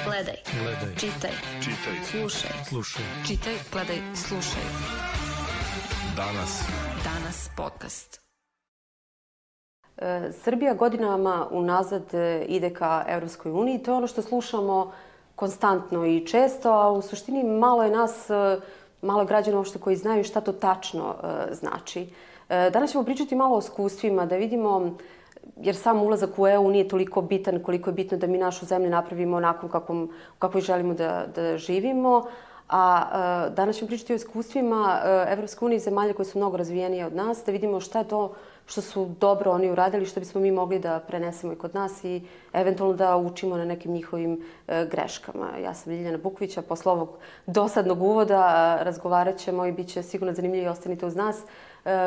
Gledaj. Čitaj. Slušaj. Čitaj, gledaj, slušaj. Danas podcast. Srbija godinama unazad ide ka Evropskoj uniji. To je ono što slušamo konstantno i često, a u suštini malo je nas, malo građana uopšte koji znaju šta to tačno znači. Danas ćemo pričati malo o iskustvima, da vidimo, jer sam ulazak u EU nije toliko bitan koliko je bitno da mi našu zemlju napravimo onako kako želimo da živimo. A danas ćemo pričati o iskustvima Evropske unije i zemalja koje su mnogo razvijenije od nas, da vidimo šta je to što su dobro oni uradili, što bismo mi mogli da prenesemo i kod nas i eventualno da učimo na nekim njihovim greškama. Ja sam Ljiljana Bukvić, a posle ovog dosadnog uvoda razgovarat ćemo i bit će sigurno zanimljivo i ostanite uz nas.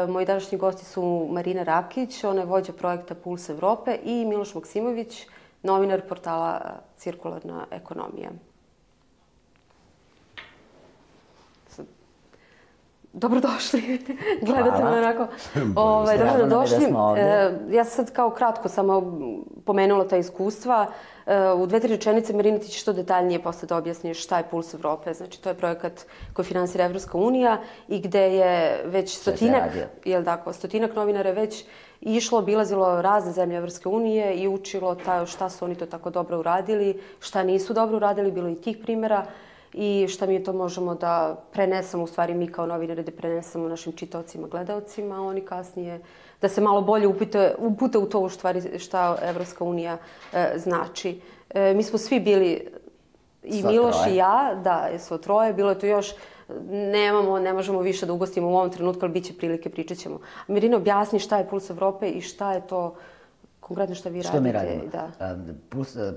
Moji današnji gosti su Marina Rakić, ona je vođa projekta Puls Evrope, i Miloš Maksimović, novinar portala Cirkularna ekonomija. Dobrodošli. Gledate me onako. Dobrodošli. Ja sam sad kao kratko samo pomenula ta iskustva. U 2-3 rečenice, Marina, ti ćeš to detaljnije posle da objasniš šta je Puls Evrope. Znači, to je projekat koji finansira Evropska unija i gde je već stotinak novinara je već išlo, obilazilo razne zemlje Evropske unije i učilo šta su oni to tako dobro uradili, šta nisu dobro uradili, bilo i tih primjera. I šta mi to možemo da prenesemo, u stvari mi kao novinari da prenesemo našim čitaocima, gledaocima, a oni kasnije da se malo bolje upute u to u stvari šta Evropska unija znači. Mi smo svi bili, i Miloš i ja, da, svo troje, bilo je tu još, ne možemo više da ugostimo u ovom trenutku, ali bit će prilike, pričat ćemo. Mirina, objasni šta je Puls Evrope i šta je to konkretno što vi radite. Što mi radimo?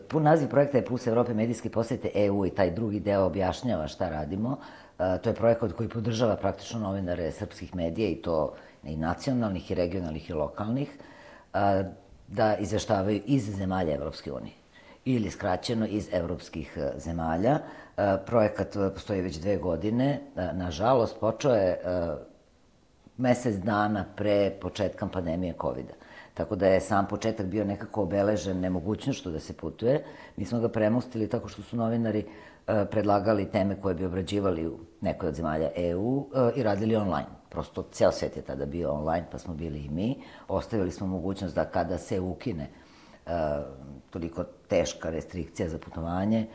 Pun naziv projekta je Puls Evrope, medijske posete EU, i taj drugi deo objašnjava šta radimo. To je projekat koji podržava praktično novinare srpskih medija, i to i nacionalnih, i regionalnih, i lokalnih, da izveštavaju iz zemalja Evropske unije. Ili skraćeno iz evropskih zemalja. Projekat postoji već 2 godine. Nažalost, počeo je mesec dana pre početka pandemije COVID-a. Tako da je sam početak bio nekako obeležen nemogućnošću da se putuje. Mi smo ga premostili tako što su novinari predlagali teme koje bi obrađivali u nekoj od zemalja EU i radili online. Prosto ceo svet je tada bio online, pa smo bili i mi. Ostavili smo mogućnost da kada se ukine toliko teška restrikcija za putovanje,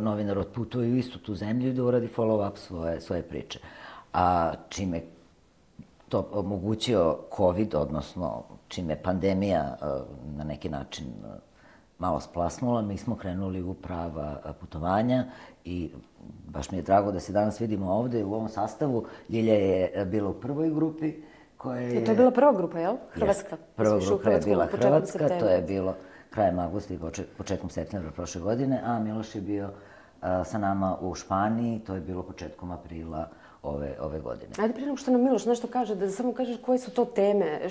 novinar otputuje u istu tu zemlju i da uradi follow-up svoje priče. A čime to omogućio COVID, odnosno čime pandemija na neki način malo splasnula, mi smo krenuli u prava putovanja i baš mi je drago da se danas vidimo ovde u ovom sastavu. Ljilja je bila u prvoj grupi koja je... To je bila prva grupa, jel? Hrvatska. Prva grupa je bila Hrvatska, to je bilo krajem avgusta i početkom septembra prošle godine, a Miloš je bio sa nama u Španiji, to je bilo početkom aprila ove godine. Ajde, prije nego što nam Miloš nešto kaže, da samo kažeš koje su to teme,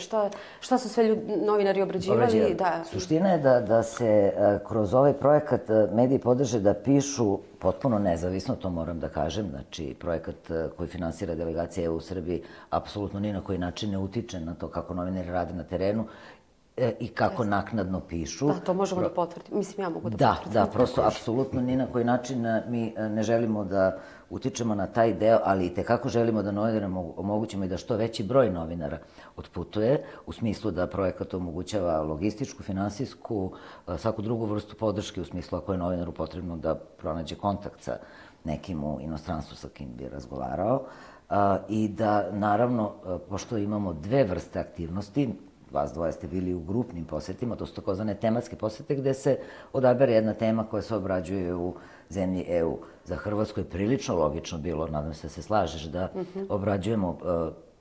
šta su sve novinari obrađivali. Suština je da se kroz ovaj projekat mediji podrže da pišu potpuno nezavisno, to moram da kažem. Znači, projekat koji finansira delegacija EU u Srbiji apsolutno ni na koji način ne utiče na to kako novinari rade na terenu i kako naknadno pišu. Da, to možemo da potvrdimo. Mislim, ja mogu da potvrdim. Da, prosto, apsolutno ni na koji način mi ne želimo da utičemo na taj deo, ali i tekako želimo da novinarima omogućimo i da što veći broj novinara otputuje, u smislu da projekat omogućava logističku, finansijsku, svaku drugu vrstu podrške, u smislu ako je novinaru potrebno da pronađe kontakt sa nekim u inostranstvu sa kim bi razgovarao. I da, naravno, pošto imamo 2 vrste aktivnosti, vas dvoje ste bili u grupnim posetima, to su takozvane tematske posete gde se odabere jedna tema koja se obrađuje u zemlji EU. Za Hrvatsku je prilično logično bilo, nadam se da se slažeš, da obrađujemo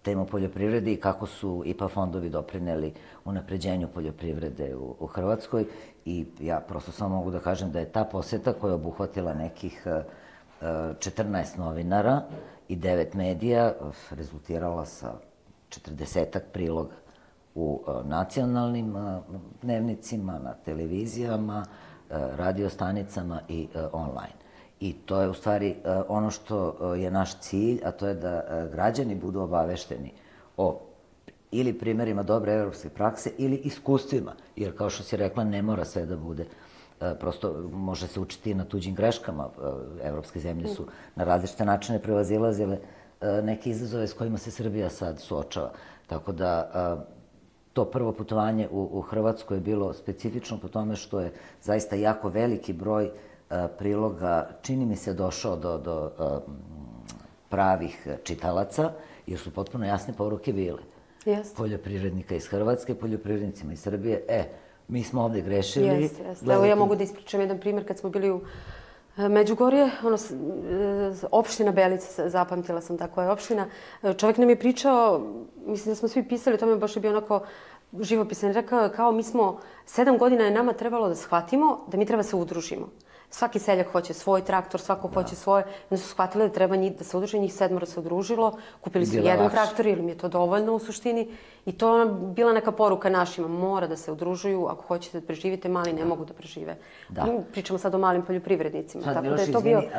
temu poljoprivrede i kako su IPA fondovi doprineli unapređenju poljoprivrede u Hrvatskoj. I ja prosto samo mogu da kažem da je ta poseta koja je obuhvatila nekih 14 novinara i 9 medija rezultirala sa 40-ak priloga u nacionalnim dnevnicima, na televizijama, radiostanicama i online. I to je u stvari ono što je naš cilj, a to je da građani budu obavešteni o ili primjerima dobre evropske prakse ili iskustvima, jer kao što si rekla, ne mora sve da bude prosto može se učiti na tuđim greškama. Evropske zemlje su na različite načine prevazilazile neke izazove s kojima se Srbija sad suočava. Tako da to prvo putovanje u Hrvatsku je bilo specifično po tome što je zaista jako veliki broj priloga, čini mi se, došao do pravih čitalaca, jer su potpuno jasne poruke bile. Poljoprivrednika iz Hrvatske, poljoprivrednicima iz Srbije. Mi smo ovde grešili. Jeste. Evo ja mogu da ispričam jedan primjer kad smo bili u Međugorje, opština Belica, zapamtila sam tako je opština. Čovjek nam je pričao, mislim da smo svi pisali, to mi je baš bio onako živopisan, rekao kao mi smo 7 godina je nama trebalo da shvatimo da mi treba se udružimo. Svaki seljak hoće svoj traktor, svako hoće svoje. Onda su shvatili da treba da se udruže, njih 7 se udružilo, kupili su jedan traktor ili mi je to dovoljno u suštini. I to je bila neka poruka našima, mora da se udružuju, ako hoćete da preživite, mali ne mogu da prežive. Pričamo sad o malim poljoprivrednicima. Sad, Miloš, izvini,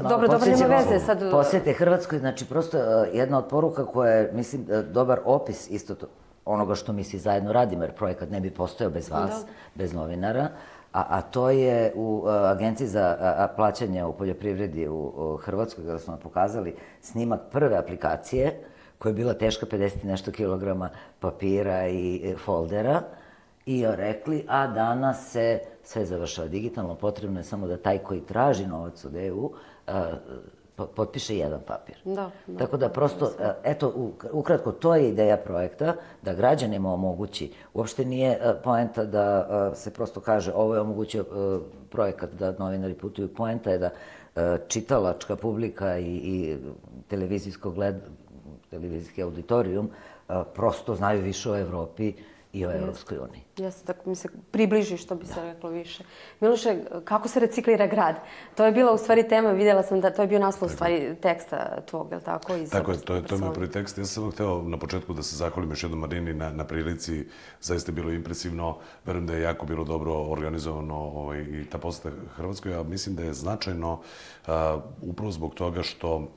dobro, nema veze. Posjete Hrvatskoj, znači prosto jedna od poruka koja je, mislim, dobar opis isto onoga što mi svi zajedno radimo, jer projekat ne bi postojao bez vas, bez novinara. A to je u Agenciji za plaćanje u poljoprivredi u Hrvatskoj, kada smo nam pokazali snimak prve aplikacije, koja je bila teška 50 nešto kilograma papira i foldera, i rekli, a danas se sve završava digitalno, potrebno je samo da taj koji traži novac od EU potpiše jedan papir. Tako da prosto, eto, ukratko, to je ideja projekta, da građanima omogući. Uopšte nije poenta da se prosto kaže ovo je omogućio projekat da novinari putuju. Poenta je da čitalačka publika i televizijski auditorijum prosto znaju više o Evropi i o Evropskoj uniji. Jeste, tako mi se približi, što bi se reklo više. Miloše, kako se reciklira grad? To je bila u stvari tema, vidjela sam da to je bio naslov u stvari teksta tvog, je li tako? Tako je, to je moj prvi tekst. Ja sam samo hteo na početku da se zahvalim još jednom Marini na prilici. Zaista je bilo impresivno. Verujem da je jako bilo dobro organizovano i ta poseta Hrvatskoj, a mislim da je značajno upravo zbog toga što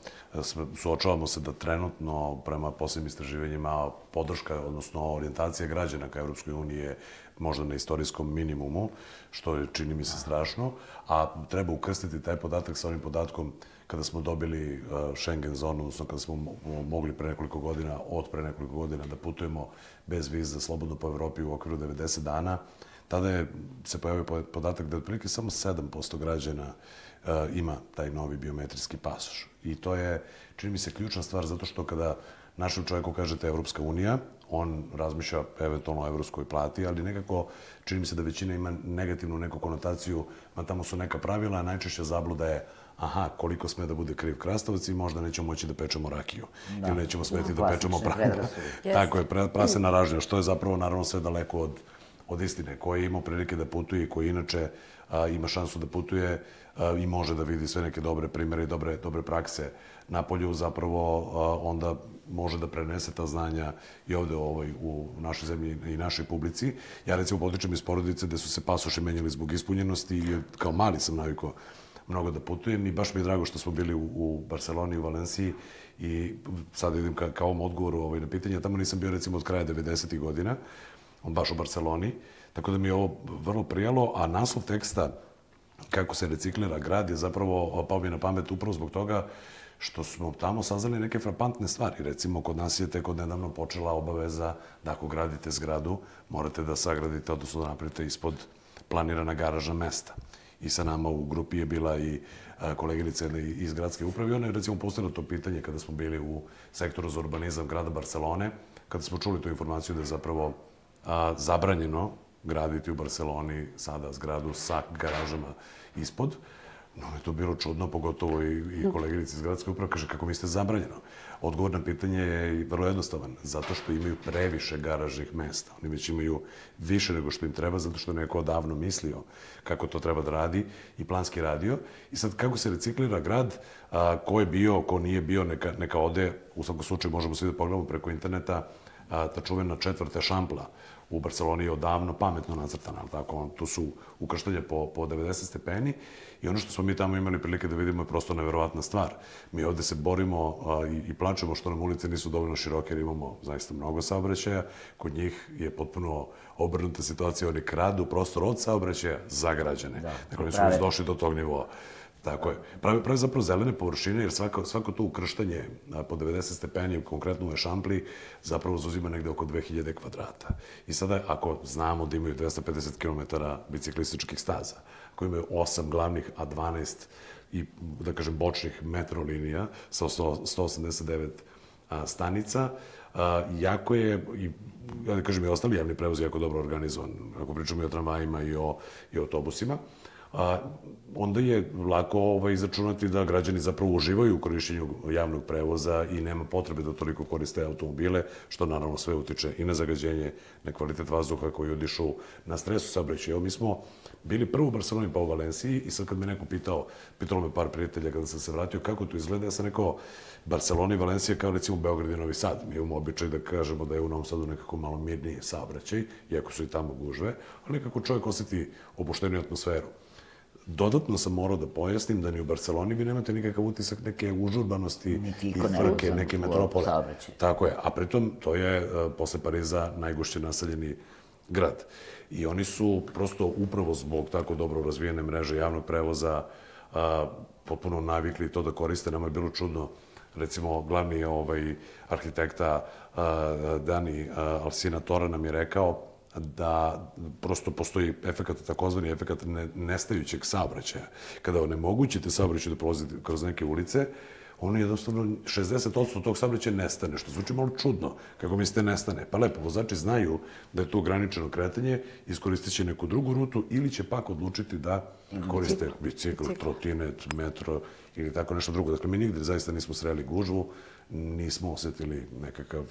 suočavamo se da trenutno prema posebnim istraživanjima podrška, odnosno orijentacija građana ka Evropskoj uniji je možda na istorijskom minimumu, što je, čini mi se, strašno, a treba ukrstiti taj podatak sa onim podatkom kada smo dobili Schengen zonu, odnosno kada smo mogli od pre nekoliko godina da putujemo bez viza slobodno po Evropi u okviru 90 dana. Tada se pojavio podatak da otprilike samo 7% građana ima taj novi biometrijski pasoš. I to je, čini mi se, ključna stvar, zato što kada našem čovjeku kažete Evropska unija, on razmišlja eventualno o evropskoj plati, ali nekako čini mi se da većina ima negativnu neku konotaciju, ma tamo su neka pravila, a najčešća zabluda je koliko sme da bude kriv krastavac i možda nećemo moći da pečemo rakiju. Ili nećemo smeti da pečemo pranje. Tako je, prase na ražnje, što je zapravo naravno sve daleko od istine. Ko je imao prilike da putuje i koji inače ima šansu da putuje i može da vidi sve neke dobre primere i dobre prakse napolju, zapravo onda može da prenese ta znanja i ovde u našoj zemlji i našoj publici. Ja recimo potičem iz porodice gde su se pasoši menjali zbog ispunjenosti i kao mali sam navikao mnogo da putujem i baš mi je drago što smo bili u Barceloni, u Valenciji i sad idem ka ovom odgovoru na pitanje. Tamo nisam bio recimo od kraja 90. godina, baš u Barceloni, tako da mi je ovo vrlo prijalo, a naslov teksta kako se reciklira grad je zapravo pao mi na pamet upravo zbog toga što smo tamo saznali neke frapantne stvari. Recimo, kod nas je tek od nedavno počela obaveza da ako gradite zgradu, morate da sagradite, odnosno da napravite ispod planirana garažna mesta. I sa nama u grupi je bila i koleginica iz gradske uprave. Ona je recimo postavila to pitanje kada smo bili u sektoru za urbanizam grada Barcelone, kada smo čuli tu informaciju da je zapravo zabranjeno graditi u Barceloni sada zgradu sa garažama ispod. No, je to bilo čudno, pogotovo i koleginici iz gradske uprave kaže kako mislite zabranjeno. Odgovor na pitanje je vrlo jednostavan, zato što imaju previše garažnih mesta. Oni već imaju više nego što im treba, zato što je neko odavno mislio kako to treba da radi i planski radio. I sad, kako se reciklira grad, ko je bio, ko nije bio, neka ode, u svakom slučaju možemo svi da pogledamo preko interneta, ta čuvena 4. šampla u Barceloni je odavno pametno nacrtana, ali tako, tu su ukrštanja po 90 stepeni i ono što smo mi tamo imali prilike da vidimo je prosto neverovatna stvar. Mi ovde se borimo i plačemo što nam ulice nisu dovoljno široke jer imamo zaista mnogo saobraćaja. Kod njih je potpuno obrnuta situacija, oni kradu prostor od saobraćaja za građane. Dakle, oni su već došli do tog nivoa. Tako je. Pravi zapravo zelene površine, jer svako to ukrštanje po 90 stepeni, konkretno u Ešampli, zapravo zauzima negde oko 2000 kvadrata. I sada, ako znamo da imaju 250 km biciklističkih staza, koji imaju 8 glavnih, a 12 i, da kažem, bočnih metro linija sa 189 stanica, jako je, ja da kažem, i ostali javni prevoz jako dobro organizovan. Ako pričamo i o tramvajima i o autobusima, onda je lako izračunati da građani zapravo uživaju u korišćenju javnog prevoza i nema potrebe da toliko koriste automobile, što naravno sve utiče i na zagađenje, na kvalitet vazduha koji udišu, na stres u saobraćaju. Evo, mi smo bili prvo u Barceloni pa u Valenciji i sad kad me neko pitalo me par prijatelja kada sam se vratio kako to izgleda, ja sam rekao Barcelona i Valencija kao recimo Beograd i Novi Sad. Mi imamo običaj da kažemo da je u Novom Sadu nekako malo mirniji saobraćaj, iako su i tamo gužve, ali nekako čovjek osjeti opušteniju atmosferu. Dodatno sam morao da pojasnim da ni u Barceloni vi nemate nikakav utisak neke užurbanosti i frke, neke metropole. Tako je, a pritom to je posle Pariza najgušće naseljeni grad. I oni su prosto upravo zbog tako dobro razvijene mreže javnog prevoza potpuno navikli to da koriste. Nama je bilo čudno, recimo glavni arhitekta Dani Alsina Tora nam je rekao da prosto postoji takozvani efekat nestajućeg saobraćaja. Kada onemogućite saobraćaj da prolazi kroz neke ulice, ono jednostavno 60% tog saobraćaja nestane, što zvuči malo čudno. Kako mislite nestane? Pa lepo, vozači znaju da je to ograničeno kretanje, iskoristit će neku drugu rutu ili će pak odlučiti da koriste bicikl, trotinet, metro ili tako nešto drugo. Dakle, mi nigde zaista nismo sreli gužvu, nismo osetili nekakav,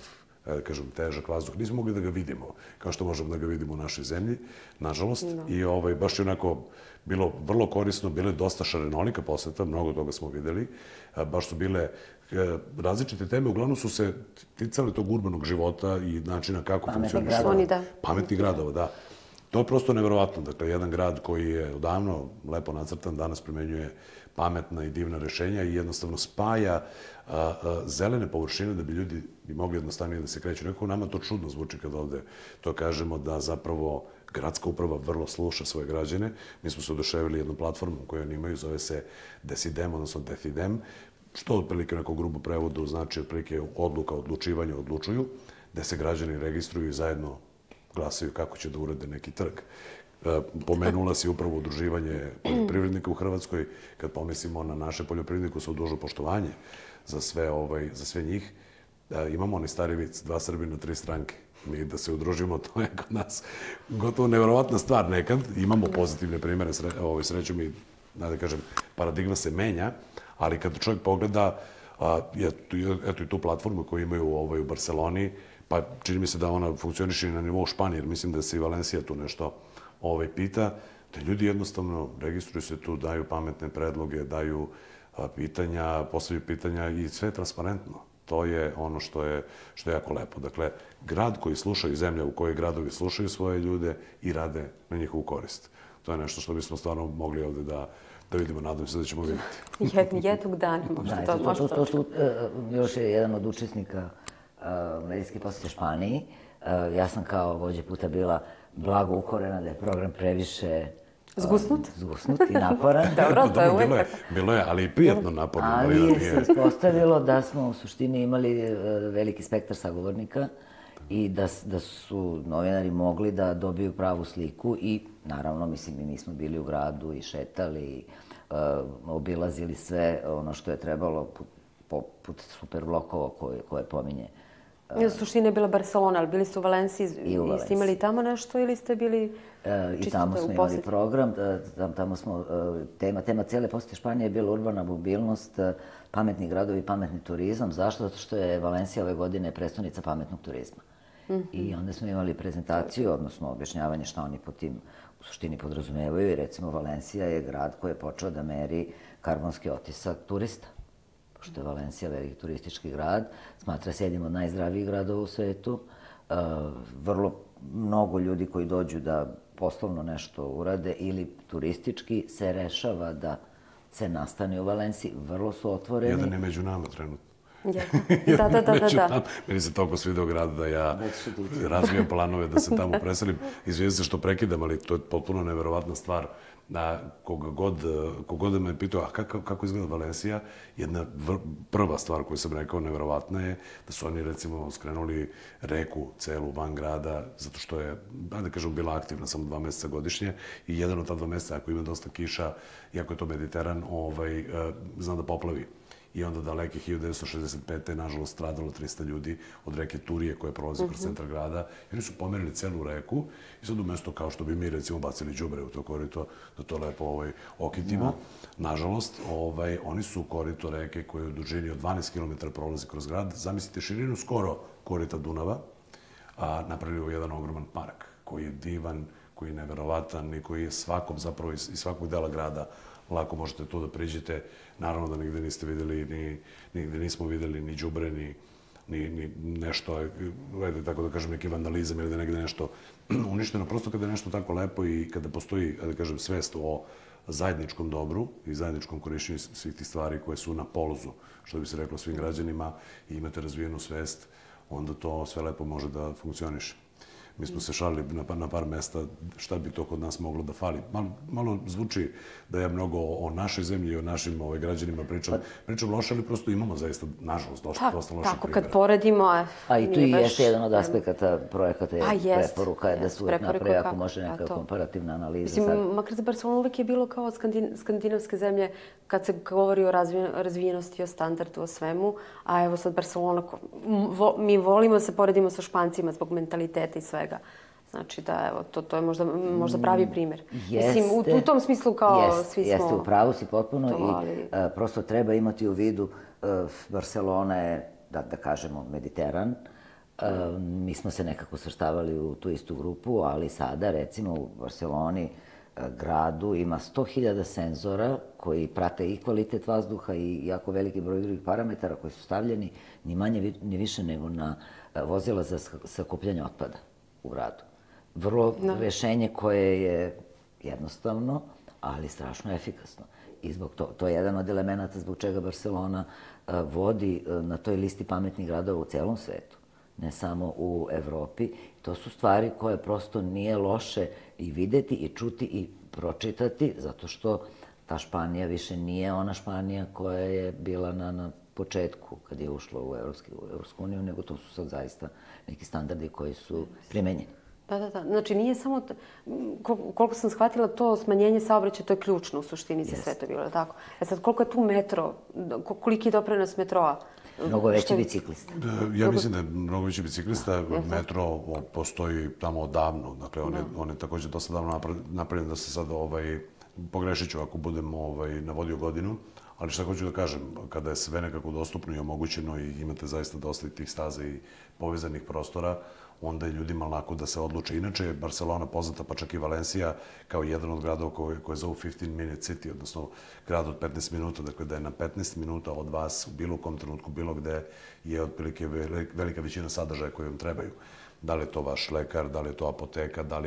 da kažem, težak vazduh. Nismo mogli da ga vidimo, kao što možemo da ga vidimo u našoj zemlji, nažalost. I baš je onako bilo vrlo korisno, bilo je dosta šarenolika poseta, mnogo toga smo videli. Baš su bile različite teme, uglavnom su se ticale tog urbanog života i načina kako funkcioniše. Pametnih gradova, da. To je prosto neverovatno. Dakle, jedan grad koji je odavno lepo nacrtan, danas primenjuje pametna i divna rešenja i jednostavno spaja zelene površine da bi ljudi mogli jednostavnije da se kreću. Nekako nama to čudno zvuči kad ovde to kažemo da zapravo gradska uprava vrlo sluša svoje građane. Mi smo se oduševili jednom platformom koju oni imaju, zove se Decidem, odnosno Decidem, što otprilike u nekom grubu prevodu znači otprilike odluka, odlučivanje, odlučuju, gde se građani registruju i zajedno glasaju kako će da urade neki trg. Pomenula si upravo udruživanje poljoprivrednika u Hrvatskoj. Kad pomislimo na naše poljoprivrednike sa dužno poštovanje za sve njih, imamo onaj stari vic, 2 Srbina, 3 stranke. Mi da se udružimo, to je kod nas gotovo neverovatna stvar nekad. Imamo pozitivne primere, srećom i, da kažem, paradigma se menja, ali kad čovjek pogleda, eto i tu platformu koju imaju u Barceloni, pa čini mi se da ona funkcioniše i na nivou Španije, jer mislim da se i Valencija tu nešto pita, da ljudi jednostavno registruju se tu, daju pametne predloge, daju pitanja, postavljaju pitanja i sve je transparentno. To je ono što je jako lepo. Dakle, grad koji sluša i zemlja u kojoj gradovi slušaju svoje ljude i rade na njihovu korist. To je nešto što bismo stvarno mogli ovde da vidimo, nadam se da ćemo vidjeti. Jednog dana možda to možda. To su još jedan od učesnika medijske posete Španiji. Ja sam kao vođa puta bila blago ukorena da je program previše zgusnut i naporan. Dobro, to je uvijek. Bilo je, ali i prijatno naporno. Ali se ispostavilo da smo u suštini imali veliki spektar sagovornika i da su novinari mogli da dobiju pravu sliku i naravno, mislim, mi smo bili u gradu i šetali, obilazili sve ono što je trebalo poput super blokova koje pominje. U suštini je bila Barcelona, ali bili ste u Valenciji i ste imali tamo nešto ili ste bili i tamo smo imali program, tamo smo, tema cijele posete Španije je bila urbana mobilnost, pametni gradovi i pametni turizam. Zašto? Zato što je Valencija ove godine prestonica pametnog turizma. I onda smo imali prezentaciju, odnosno objašnjavanje šta oni po tim u suštini podrazumevaju i recimo Valencija je grad koji je počeo da meri karbonski otisak turista. Pošto je Valencija veliki turistički grad, smatra se jednim od najzdravijih gradova u svetu, vrlo mnogo ljudi koji dođu da poslovno nešto urade ili turistički se rešava da se nastane u Valenciji. Vrlo su otvoreni. Jedan je među nama trenutno. Da. Meni se toliko svideo grad da ja razvijam planove da se tamo preselim. Izvijem se što prekidam, ali to je potpuno neverovatna stvar. Kogod me pitao, kako izgleda Valencija, jedna prva stvar koju sam rekao neverovatna je da su oni, recimo, skrenuli reku celu van grada, zato što je, da kažem, bila aktivna samo 2 meseca godišnje i jedan od ta 2 meseca, ako ima dosta kiša, iako je to Mediteran, zna da poplavi. I onda daleke 1965. nažalost stradalo 300 ljudi od reke Turije koja prolazi kroz centar grada. I oni su pomerili celu reku i sad umjesto kao što bi mi recimo bacili đubre u to korito, da to lepo okitimo. Nažalost, oni su korito reke koje u dužini od 12 km prolazi kroz grad. Zamislite širinu skoro korita Dunava, napravili u jedan ogroman park koji je divan, koji je neverovatan i koji je svakom zapravo iz svakog dela grada lako možete tu da priđete. Naravno da nigde niste videli, nigde nismo videli ni đubre, ni nešto, tako da kažem, neki vandalizam ili da negde nešto uništeno. Prosto kada je nešto tako lepo i kada postoji, da kažem, svest o zajedničkom dobru i zajedničkom korišćenju svih tih stvari koje su na polozu, što bi se reklo svim građanima, i imate razvijenu svest, onda to sve lepo može da funkcioniše. Mi smo se šalili na par mesta šta bi to kod nas moglo da fali. Malo zvuči da ja mnogo o našoj zemlji i o našim građanima pričam loše, ali prosto imamo zaista, nažalost, dosta loše primjera. Tako, kad poredimo... A i tu i jeste jedan od aspekata projekata je preporuka, da se uvijek napravi ako može neka komparativna analiza. Mislim, makar za Barcelonu uvijek je bilo kao skandinavske zemlje kad se govori o razvijenosti, o standardu, o svemu, a evo sad Barcelona, mi volimo da se poredimo sa Špancima zbog mentaliteta i svega. Znači da, evo, to je možda pravi primjer. Mislim, u tom smislu kao svi smo... Jeste, u pravu si potpuno i prosto treba imati u vidu Barcelona je, da kažemo, Mediteran. Mi smo se nekako svrstavali u tu istu grupu, ali sada, recimo, u Barceloni gradu ima 100.000 senzora koji prate i kvalitet vazduha i jako veliki broj drugih parametara koji su stavljeni ni manje ni više nego na vozila za sakupljanje otpada u gradu. Vrlo rešenje koje je jednostavno, ali strašno efikasno. I zbog to je jedan od elemenata zbog čega Barcelona vodi na toj listi pametnih gradova u celom svetu, ne samo u Evropi. To su stvari koje prosto nije loše i videti i čuti i pročitati, zato što ta Španija više nije ona Španija koja je bila na početku kad je ušla u Evropsku uniju, nego to su sad zaista neki standardi koji su primenjeni. Da. Znači, nije samo, koliko sam shvatila, to smanjenje saobraćaja, to je ključno u suštini za sve to bilo, tako? Sad, koliko je tu metro, koliki je doprinos metroa? Mnogo veći biciklista. Ja mislim da je mnogo veći biciklista. Metro postoji tamo odavno. Dakle, on je također dosta davno napravljen da se sad pogrešit ću ako budem navodio godinu. Ali šta hoću da kažem, kada je sve nekako dostupno i omogućeno i imate zaista dosta tih staza i povezanih prostora, onda je ljudima lako da se odluče. Inače je Barcelona poznata, pa čak i Valencija, kao jedan od gradova koje zovu 15-minute city, odnosno grad od 15 minuta. Dakle, da je na 15 minuta od vas u bilo kom trenutku, bilo gde je otprilike velika većina sadržaja koje vam trebaju. Da li je to vaš lekar, da li je to apoteka, da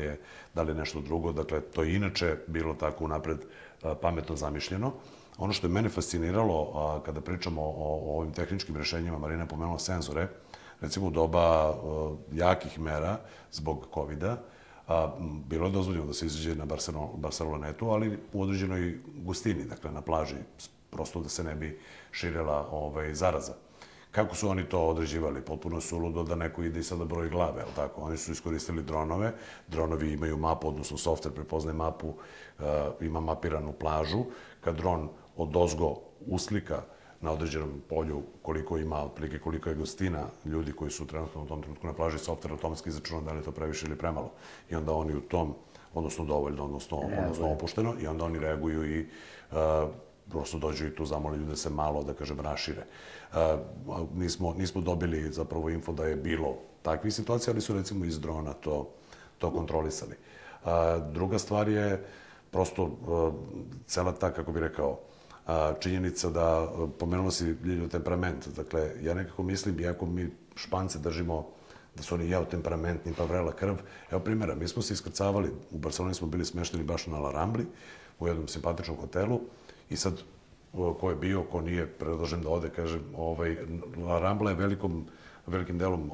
li je nešto drugo. Dakle, to je inače bilo tako unapred pametno zamišljeno. Ono što je mene fasciniralo kada pričamo o ovim tehničkim rešenjima, Marina je pomenula senzore, recimo u doba jakih mera zbog COVID-a, bilo je dozvoljeno da se izađe na Barcelonetu, ali u određenoj gustini, dakle na plaži, prosto da se ne bi širila zaraza. Kako su oni to određivali? Potpuno suludo da neko ide i sada broji glave, ali tako? Oni su iskoristili dronove. Dronovi imaju mapu, odnosno softver prepoznaje mapu, ima mapiranu plažu. Kad dron odozgo uslika na određenom polju koliko ima, otprilike koliko je gustina ljudi koji su trenutno u tom trenutku na plaži, softver automatski izračuna da li je to previše ili premalo. I onda oni u tom, odnosno dovoljno, odnosno opušteno, i onda oni reaguju i prosto dođu i tu zamole ljude se malo, da kažem, rašire. Nismo dobili zapravo info da je bilo takvih situacija, ali su recimo iz drona to kontrolisali. Druga stvar je prosto cela ta, kako bih rekao, činjenica da pomenulo si Ljiljo temperament. Dakle, ja nekako mislim, iako mi Špance držimo da su oni jao temperamentni, pa vrela krv. Evo primjera, mi smo se iskrcavali, u Barceloni smo bili smešteni baš na La Rambli, u jednom simpatičnom hotelu, i sad ko je bio, ko nije, predlažem da ode, kažem, La Rambla je velikim delom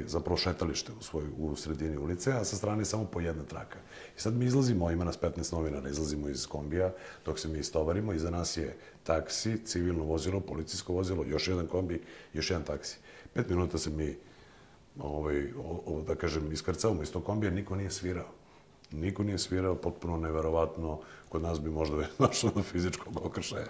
zapravo šetalište u sredini ulice, a sa strane je samo po jedna traka. I sad mi izlazimo, ima nas 15 novinara, izlazimo iz kombija, dok se mi istovarimo, iza nas je taksi, civilno vozilo, policijsko vozilo, još jedan kombi, još jedan taksi. 5 minuta se mi, da kažem, iskrcavamo iz tog kombija, niko nije svirao. Niko nije svirao, potpuno neverovatno. Kod nas bi možda došlo do fizičkog okršaja.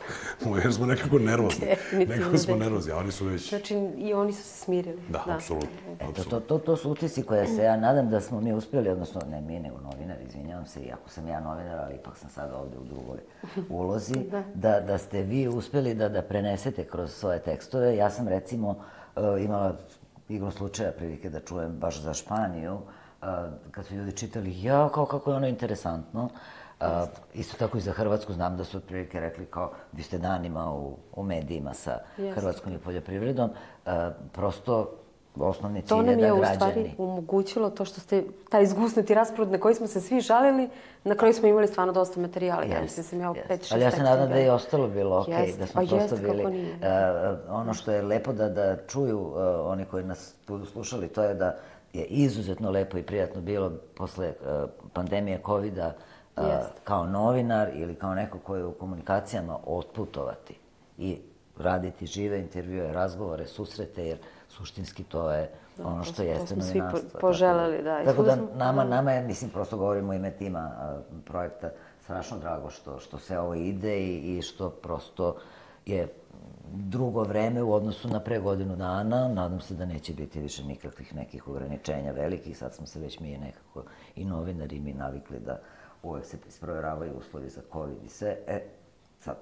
Jer smo nekako nervozni. Nekako smo nervozni, a oni su već... Znači, i oni su se smirili. Da, apsolutno. To su utisci koje se ja nadam da smo mi uspjeli, odnosno ne mi, nego novinari, izvinjavam se, iako sam ja novinar, ali ipak sam sad ovdje u drugoj ulozi, da ste vi uspjeli da prenesete kroz svoje tekstove. Ja sam, recimo, imala igrom slučaja prilike da čujem baš za Španiju, kad su ljudi čitali, kako je ono interesantno. Isto tako i za Hrvatsku, znam da su otprilike rekli kao vi ste danima u medijima sa Hrvatskom i poljoprivredom. Prosto osnovni cilj je da građani... To nam je u stvari omogućilo to što ste taj izgusnuti raspored na koji smo se svi žalili, na kraju smo imali stvarno dosta materijala. Ja mislim da sam ja 5-6 teksta. Ali ja se nadam da je ostalo bilo okej, da smo prosto bili... Ono što je lepo da čuju oni koji nas budu slušali, to je da je izuzetno lepo i prijatno bilo posle pandemije COVID-a kao novinar ili kao neko koji je u komunikacijama otputovati i raditi žive intervjue, razgovore, susrete, jer suštinski to je ono što jeste novinarstvo. To smo svi poželeli, da. Tako da nama je, mislim, prosto govorimo u ime tima projekta, strašno drago što sve ovo ide i što prosto je drugo vreme u odnosu na pre godinu dana. Nadam se da neće biti više nikakvih nekih ograničenja velikih. Sad smo se već mi nekako i novinari i mi navikli da uvek se isprovjeravaju uslovi za COVID i sve. Sad,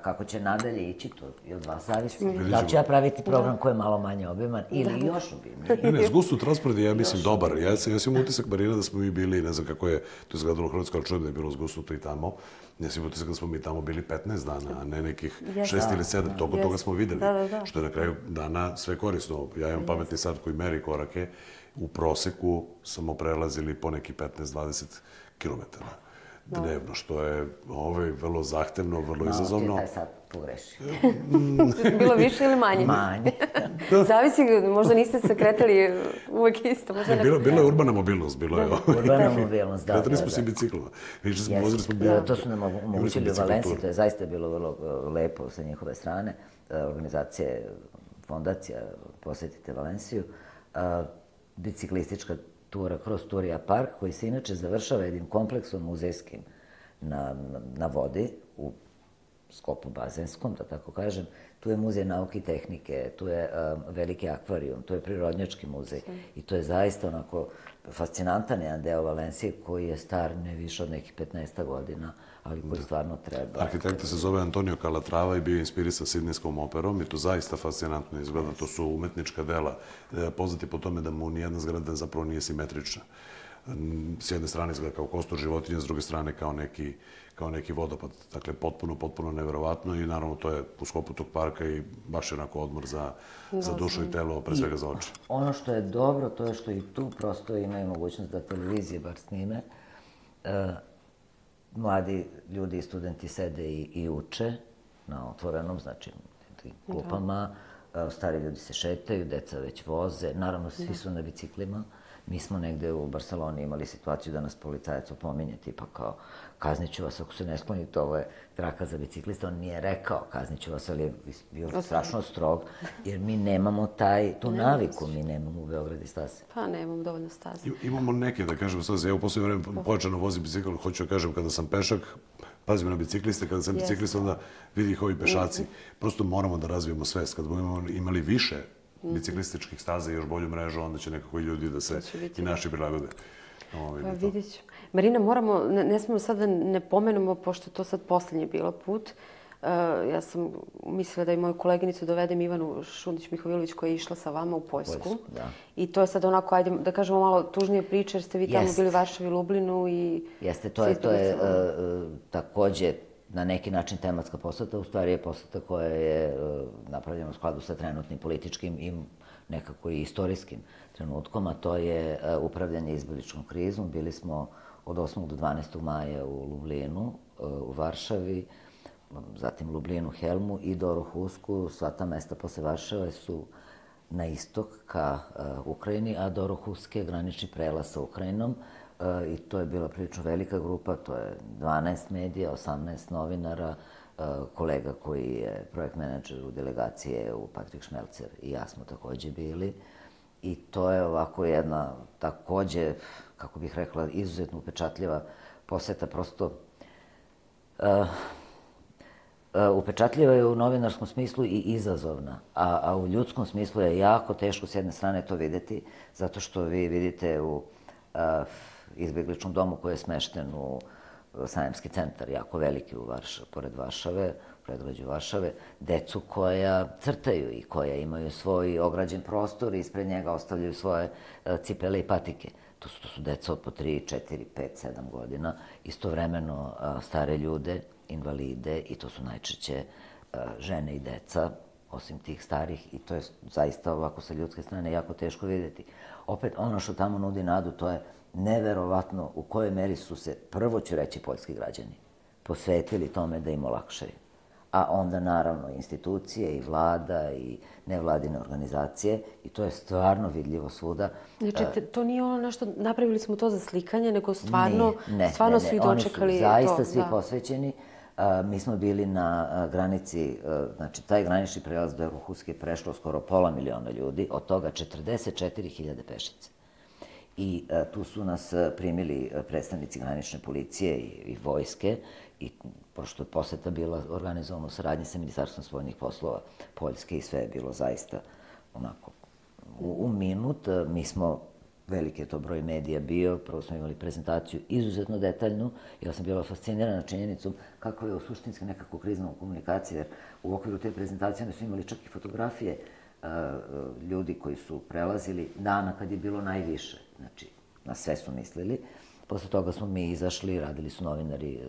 kako će nadalje ići, to je od vas zavisi. Da ću ja praviti program koji je malo manje obiman ili još obimniji? Ne, zgusnut raspored je, ja mislim, dobar. Ja sam imao utisak, Marina, da smo mi bili, ne znam kako je to izgledalo u Hrvatskoj, ali čujem da je bilo zgusnuto i tamo. Ja sam imao utisak da smo mi tamo bili 15 dana, a ne nekih 6 ili 7. Toliko toga smo videli, što je na kraju dana sve korisno. Ja imam pametni sat koji meri korake. U proseku smo prelazili po neki 15-20 kilometara dnevno, što je vrlo zahtevno, vrlo izazovno. Malo ti je taj sad pogrešio. Bilo više ili manje? Manje. Zavisi, možda niste se kretali uvek isto. Bila je urbana mobilnost, bilo je. Urbana mobilnost, da. Kretali smo se i biciklima. To su nam omogućili u Valenciji, to je zaista bilo vrlo lepo sa njihove strane. Organizacije, fondacija, posjetite Valenciju. Biciklistička tura kroz Turija park, koji se inače završava jednim kompleksom muzejskim na vodi, u sklopu bazenskom, da tako kažem. Tu je muzej nauke i tehnike, tu je veliki akvarijum, tu je prirodnjački muzej i to je zaista onako fascinantan jedan deo Valencije koji je star ne više od nekih 15 godina, ali koji stvarno treba. Arhitekta se zove Antonio Calatrava i bio je inspirisan Sidnejskom operom i to zaista fascinantno izgleda. To su umetnička dela. Poznati po tome da mu nijedna zgrada zapravo nije simetrična. S jedne strane izgleda kao kostur životinja, s druge strane kao neki vodopad. Dakle, potpuno neverovatno i naravno to je u sklopu tog parka i baš je onako odmor za dušu i telo, pre svega za oči. Ono što je dobro, to je što i tu prosto imaju mogućnost da televizije bar snime. Mladi ljudi i studenti sede i uče na otvorenom, znači klupama. Stari ljudi se šetaju, deca već voze. Naravno, svi su na biciklima. Mi smo negde u Barceloni imali situaciju da nas policajac opominje, tipa kao kaznit ću vas ako se ne sklonite, ovo je traka za biciklista. On nije rekao kaznit ću vas, ali je bio strašno strog, jer mi nemamo tu naviku, mi nemamo u Beogradu staze. Pa nemamo dovoljno staze. Imamo neke, da kažem, staze. Ja u posljednje vreme pojačano vozim bicikl, hoću da kažem, kada sam pešak, pazimo na bicikliste, kada sam biciklista, onda vidi ih ovi pešaci. Prosto moramo da razvijemo svest. Kad budemo imali više biciklističkih staza i još bolju mrežu, onda će nekako i ljudi da se i naši prilagode. Pa vidjet ću. Marina, moramo, ne smemo sad da ne pomenemo, pošto to sad poslednji bilo put. Ja sam mislila da i moju koleginicu dovedem Ivanu Šundić-Mihovilović koja je išla sa vama u Poljsku. I to je sad onako, ajde da kažemo malo tužnije priče, jer ste vi tamo bili u Varšavi, Lublinu i... Jeste, to je takođe na neki način tematska poseta, u stvari je poseta koja je napravljena u skladu sa trenutnim političkim i nekako i istorijskim trenutkom, a to je upravljanje izbegličkom krizom. Bili smo od 8. do 12. maja u Lublinu, u Varšavi, zatim Lublinu, Helmu i Dorohusku. Sva ta mesta posle Varšave su na istok ka Ukrajini, a Dorohusk je granični prelaz sa Ukrajinom i to je bila prilično velika grupa, to je 12 medija, 18 novinara, kolega koji je projekt menadžer u delegaciji EU, Patrik Šmelcer i ja smo takođe bili. I to je ovako jedna, takođe, kako bih rekla, izuzetno upečatljiva poseta, prosto upečatljiva je u novinarskom smislu i izazovna, a u ljudskom smislu je jako teško s jedne strane to videti, zato što vi vidite u izbegličnom domu koji je smešten u Sajamski centar, jako veliki pored Varšave, predgrađu Varšave, decu koja crtaju i koja imaju svoj ograđen prostor i ispred njega ostavljaju svoje cipele i patike. To su deca od po 3, 4, 5, 7 godina, istovremeno stare ljude, invalide i to su najčešće žene i deca, osim tih starih, i to je zaista ovako sa ljudske strane jako teško vidjeti. Opet, ono što tamo nudi nadu, to je neverovatno u kojoj meri su se, prvo ću reći, poljski građani posvetili tome da im olakšaju. A onda, naravno, institucije i vlada i nevladine organizacije i to je stvarno vidljivo svuda. Znači, to nije ono nešto, napravili smo to za slikanje, nego stvarno svi dočekali to. Oni su zaista svi posvećeni. Mi smo bili na granici, znači taj granični prelaz do Dorohuske je prešlo skoro 500.000 ljudi, od toga 44.000 pešice. I tu su nas primili predstavnici granične policije i vojske i pošto je poseta bila organizovana u saradnji sa Ministarstvom spoljnih poslova Poljske i sve je bilo zaista onako u minut. Mi smo, veliki je to broj medija bio, prvo smo imali prezentaciju izuzetno detaljnu. Ja sam bila fascinirana činjenicom kako je u suštinski nekako krizna komunikacija, jer u okviru te prezentacije oni su imali čak i fotografije ljudi koji su prelazili dana kad je bilo najviše. Znači, na sve su mislili. Posle toga smo mi izašli, radili su novinari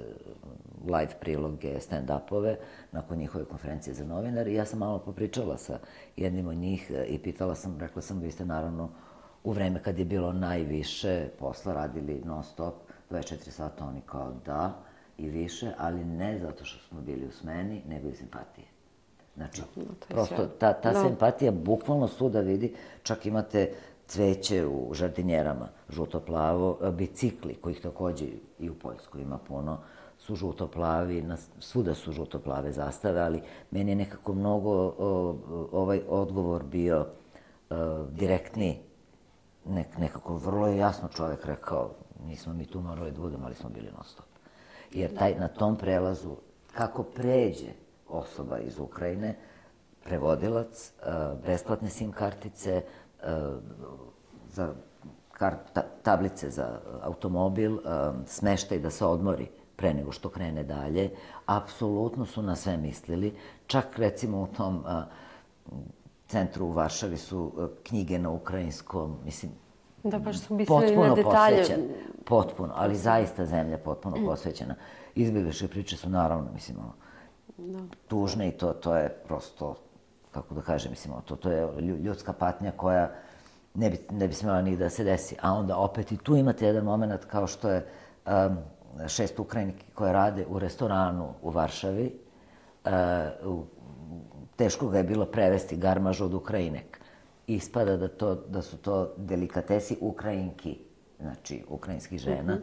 live priloge, stand-upove, nakon njihove konferencije za novinari. Ja sam malo popričala sa jednim od njih i pitala sam, rekla sam, vi ste naravno u vreme kad je bilo najviše posla radili non-stop, 24 sata, oni kao da i više, ali ne zato što smo bili u smeni, nego iz empatije. Znači, prosto ta se empatija bukvalno svuda vidi, čak imate cveće u žardinjerama, žuto-plavo, bicikli, kojih takođe i u Poljskoj ima puno, su žuto-plavi, svuda su žuto-plave zastave, ali meni je nekako mnogo ovaj odgovor bio direktniji. Nekako vrlo je jasno čovek rekao, nismo mi tu morali da budemo, ali smo bili non stop. Jer na tom prelazu, kako pređe osoba iz Ukrajine, prevodilac, besplatne SIM kartice, tablice za automobil, smeštaj da se odmori pre nego što krene dalje, apsolutno su na sve mislili. Čak recimo u tom centru u Varšavi su knjige na ukrajinskom, mislim, da, baš su mislili na detalje. Potpuno, ali zaista zemlja potpuno posvećena. Izbjegličke priče su naravno, mislim, tužne i to je prosto, kako da kažem, mislim, to je ljudska patnja koja ne bi smjela ni da se desi. A onda opet i tu imate jedan moment kao što je 6 Ukrajinki koje rade u restoranu u Varšavi. Teško ga je bilo prevesti garmaž od Ukrajinek. Ispada da su to delikatesi Ukrajinki, znači ukrajinskih žena.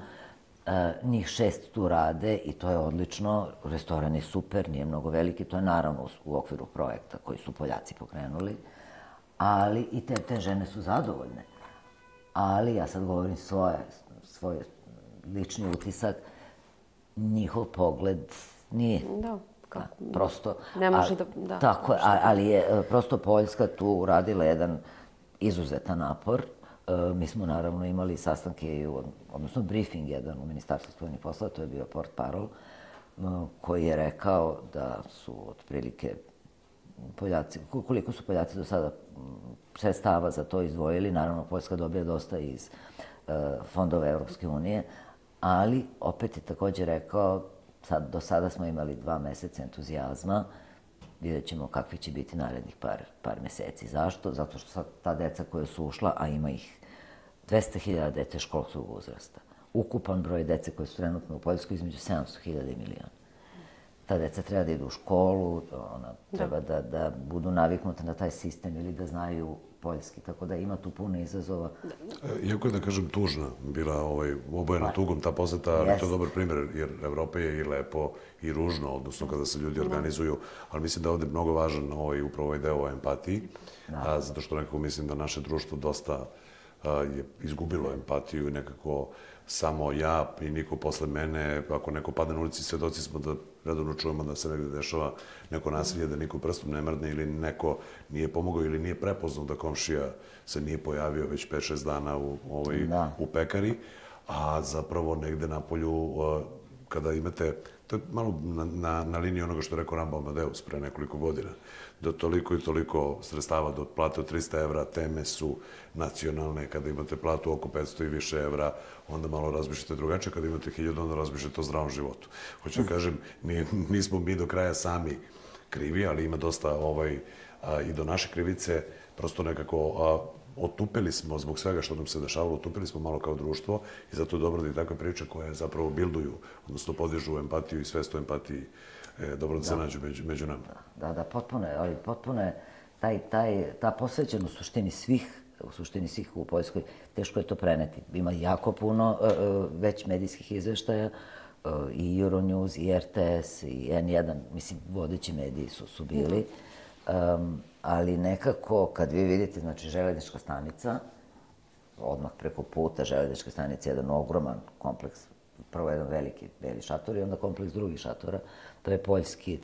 Njih 6 tu rade i to je odlično. Restoran je super, nije mnogo veliki. To je naravno u okviru projekta koji su Poljaci pokrenuli. Ali i te žene su zadovoljne. Ali, ja sad govorim svoj lični utisak, njihov pogled nije. Da. Prosto, ne može da... Tako je, ali je prosto Poljska tu uradila jedan izuzetan napor. Mi smo naravno imali sastanke, odnosno briefing jedan u Ministarstvu spoljnih poslova, to je bio portparol, koji je rekao da su otprilike Poljaci, koliko su Poljaci do sada sredstava za to izdvojili, naravno Poljska dobija dosta iz fondova Evropske unije, ali opet je takođe rekao, do sada smo imali 2 meseca entuzijazma, vidjet ćemo kakvi će biti narednih par meseci. Zašto? Zato što sad ta deca koja su ušla, a ima ih 200.000 dece školskog uzrasta. Ukupan broj dece koje su trenutno u Poljskoj između 700.000 i miliona. Ta deca treba da idu u školu, treba da budu naviknuta na taj sistem ili da znaju poljski, tako da ima tu puno izazova. Iako je, da kažem, tužna bila obojena tugom ta poseta, ali to je dobar primjer, jer Evropa je i lepo i ružno, odnosno kada se ljudi organizuju, ali mislim da je ovdje mnogo važan upravo ovaj deo o empatiji, zato što nekako mislim da naše društvo dosta je izgubilo empatiju i nekako samo ja i niko posle mene, ako neko padne na ulici, svedoci smo da redovno čujemo da se negde dešava neko nasilje, da niko prstom ne mrdne ili neko nije pomogao ili nije prepoznao da komšija se nije pojavio već 5-6 dana u pekari, a zapravo negde na polju, kada imate, to je malo na liniji onoga što je rekao Rambo Amadeus pre nekoliko godina, da toliko i toliko sredstava do plate od 300 evra, teme su nacionalne, kada imate platu oko 500 i više evra, onda malo razmišljate drugačije, kada imate 1000, onda razmišljate o zdravom životu. Hoću da kažem, nismo mi do kraja sami krivi, ali ima dosta i do naše krivice, prosto nekako otupili smo zbog svega što nam se dešavalo, otupili smo malo kao društvo i zato je dobro da i takve priče koje zapravo bilduju, odnosno podižu empatiju i svest o empatiji, dobro da se nađu među nama. Da, potpuno je ta posvećenost u suštini svih u Poljskoj, teško je to preneti. Ima jako puno već medijskih izveštaja, i Euronews, i RTS, i N1, mislim, vodeći mediji su bili, ali nekako, kad vi vidite, znači, železnička stanica, odmah preko puta železničke stanice, jedan ogroman kompleks, prvo jedan veliki beli šator i onda kompleks drugih šatora, to je Poljski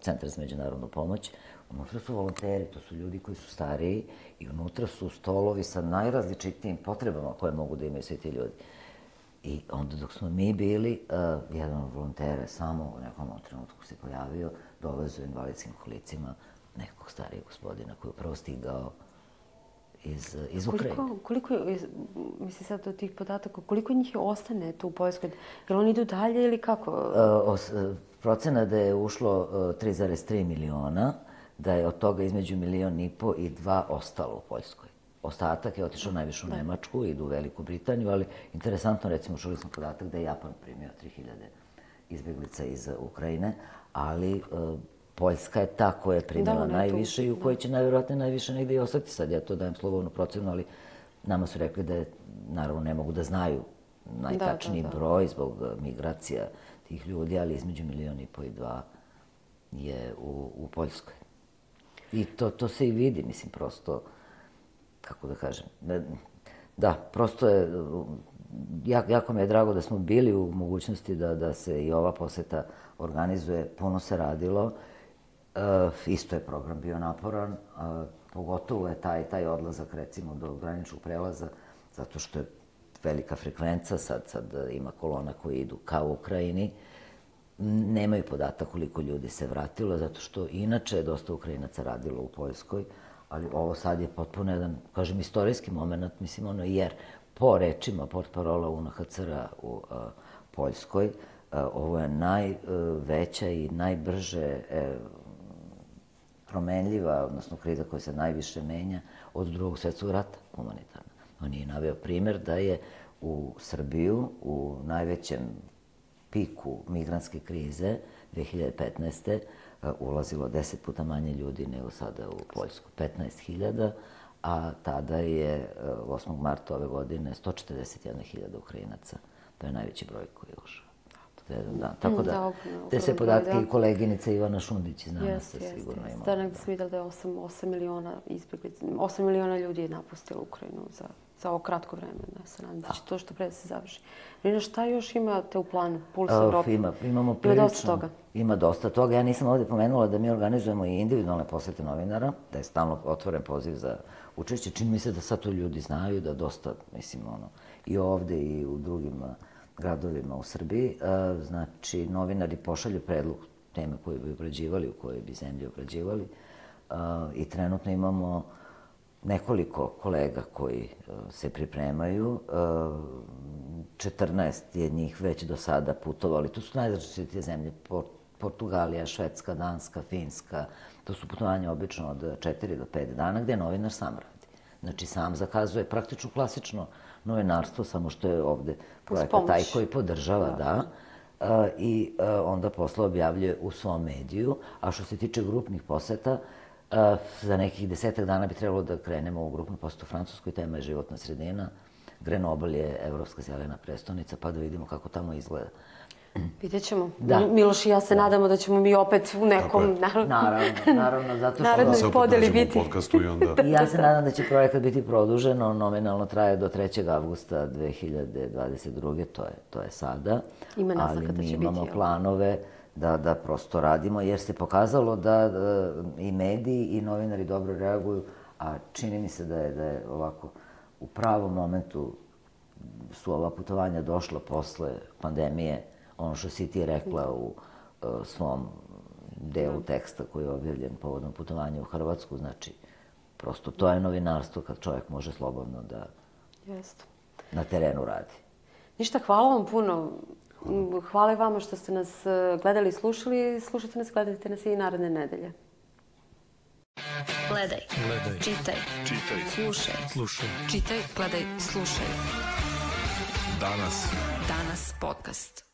centar za međunarodnu pomoć. Unutra su volonteri, to su ljudi koji su stariji i unutra su stolovi sa najrazličitijim potrebama koje mogu da imaju svi ti ljudi. I onda dok smo mi bili, jedan od volontera samo u nekom trenutku se pojavio, dovezao invalidskim kolicima nekog starijeg gospodina koji je upravo stigao iz Ukrajine. Koliko je, mislim sad od tih podataka, koliko njih ostane tu u Poljskoj? Jel oni idu dalje ili kako? Procena da je ušlo 3,3 miliona, da je od toga između 1,5 miliona i 2 ostalo u Poljskoj. Ostatak je otišao najviše u Nemačku, idu u Veliku Britaniju, ali interesantno, recimo, čuli smo podatak da je Japan primio 3000 izbjeglica iz Ukrajine, ali Poljska je ta koja je primila najviše i u kojoj će najvjerojatnije najviše negdje i ostati. Sad ja to dajem slobodnu procenu, ali nama su rekli da naravno ne mogu da znaju najtačniji broj zbog migracija tih ljudi, ali između 1,5 miliona i 2 je u Poljskoj. I to se i vidi, mislim, prosto, kako da kažem, da, prosto je, jako mi je drago da smo bili u mogućnosti da se i ova poseta organizuje, puno se radilo, isto je program bio naporan, pogotovo je taj odlazak, recimo, do graničnog prelaza, zato što je velika frekvenca, sad ima kolona koji idu ka Ukrajini, nemaju podatak koliko ljudi se vratilo, zato što inače je dosta Ukrajinaca radilo u Poljskoj, ali ovo sad je potpuno jedan, kažem, istorijski moment, mislim, jer po rečima portparola UNHCR-a u Poljskoj, ovo je najveća i najbrže promenljiva, odnosno kriza koja se najviše menja od Drugog svjetskog rata, humanitarna. On je naveo primjer da je u Srbiju u najvećem piku migrantske krize 2015. ulazilo 10 puta manje ljudi nego sada u Poljsku, 15.000, a tada je 8. marta ove godine 141.000 Ukrajinaca. To je najveći broj koji je ušao. Tako da, te sve podatke i koleginica Ivana Šundić iz nama se sigurno imala. Da, negdje sam vidjela da je 8 miliona izbjeglica, 8 miliona ljudi je napustilo Ukrajinu za ovo kratko vreme. Se nadam da će to što pre se završi. Rina, šta još imate u planu Puls Evrope? Imamo prilično. Ima dosta toga. Ja nisam ovdje pomenula da mi organizujemo i individualne posete novinara, da je stalno otvoren poziv za učešće. Čini mi se da sad to ljudi znaju, da dosta, mislim, i ovdje i u drugim gradovima u Srbiji. Znači, novinari pošalju predlog teme koje bi obrađivali, u kojoj bi zemlji obrađivali. I trenutno imamo nekoliko kolega koji se pripremaju. 14 je njih već do sada putovali. Tu su najrazličitije zemlje. Portugalija, Švedska, Danska, Finska. To su putovanja obično od 4 do 5 dana gde novinar sam radi. Znači sam zakazuje praktično klasično novinarstvo, samo što je ovde projekat taj koji podržava, da. I onda posle objavljuje u svom mediju. A što se tiče grupnih poseta, za nekih 10 dana bi trebalo da krenemo u grupnu posetu u Francuskoj, tema je životna sredina. Grenoble je evropska zelena prestonica, pa da vidimo kako tamo izgleda. Vidjet ćemo. Miloš i ja se nadamo da ćemo mi opet u nekom naravno, zato što narodnoj podeli biti. I ja se nadam da će projekat biti produžen, on nominalno traje do 3. avgusta 2022. To je sada. Ali mi imamo planove da prosto radimo, jer se pokazalo da i mediji i novinari dobro reaguju, a čini mi se da je ovako u pravom momentu su ova putovanja došla posle pandemije, ono što si ti rekla u svom delu teksta koji je objavljen povodom putovanja u Hrvatsku, znači prosto to je novinarstvo kad čovjek može slobodno da na terenu radi. Ništa, hvala vam puno. Hvala i vama što ste nas gledali i slušali. Slušajte nas, gledajte nas i naredne nedelje. Gledaj, čitaj, slušaj. Čitaj, gledaj, slušaj. Danas podcast.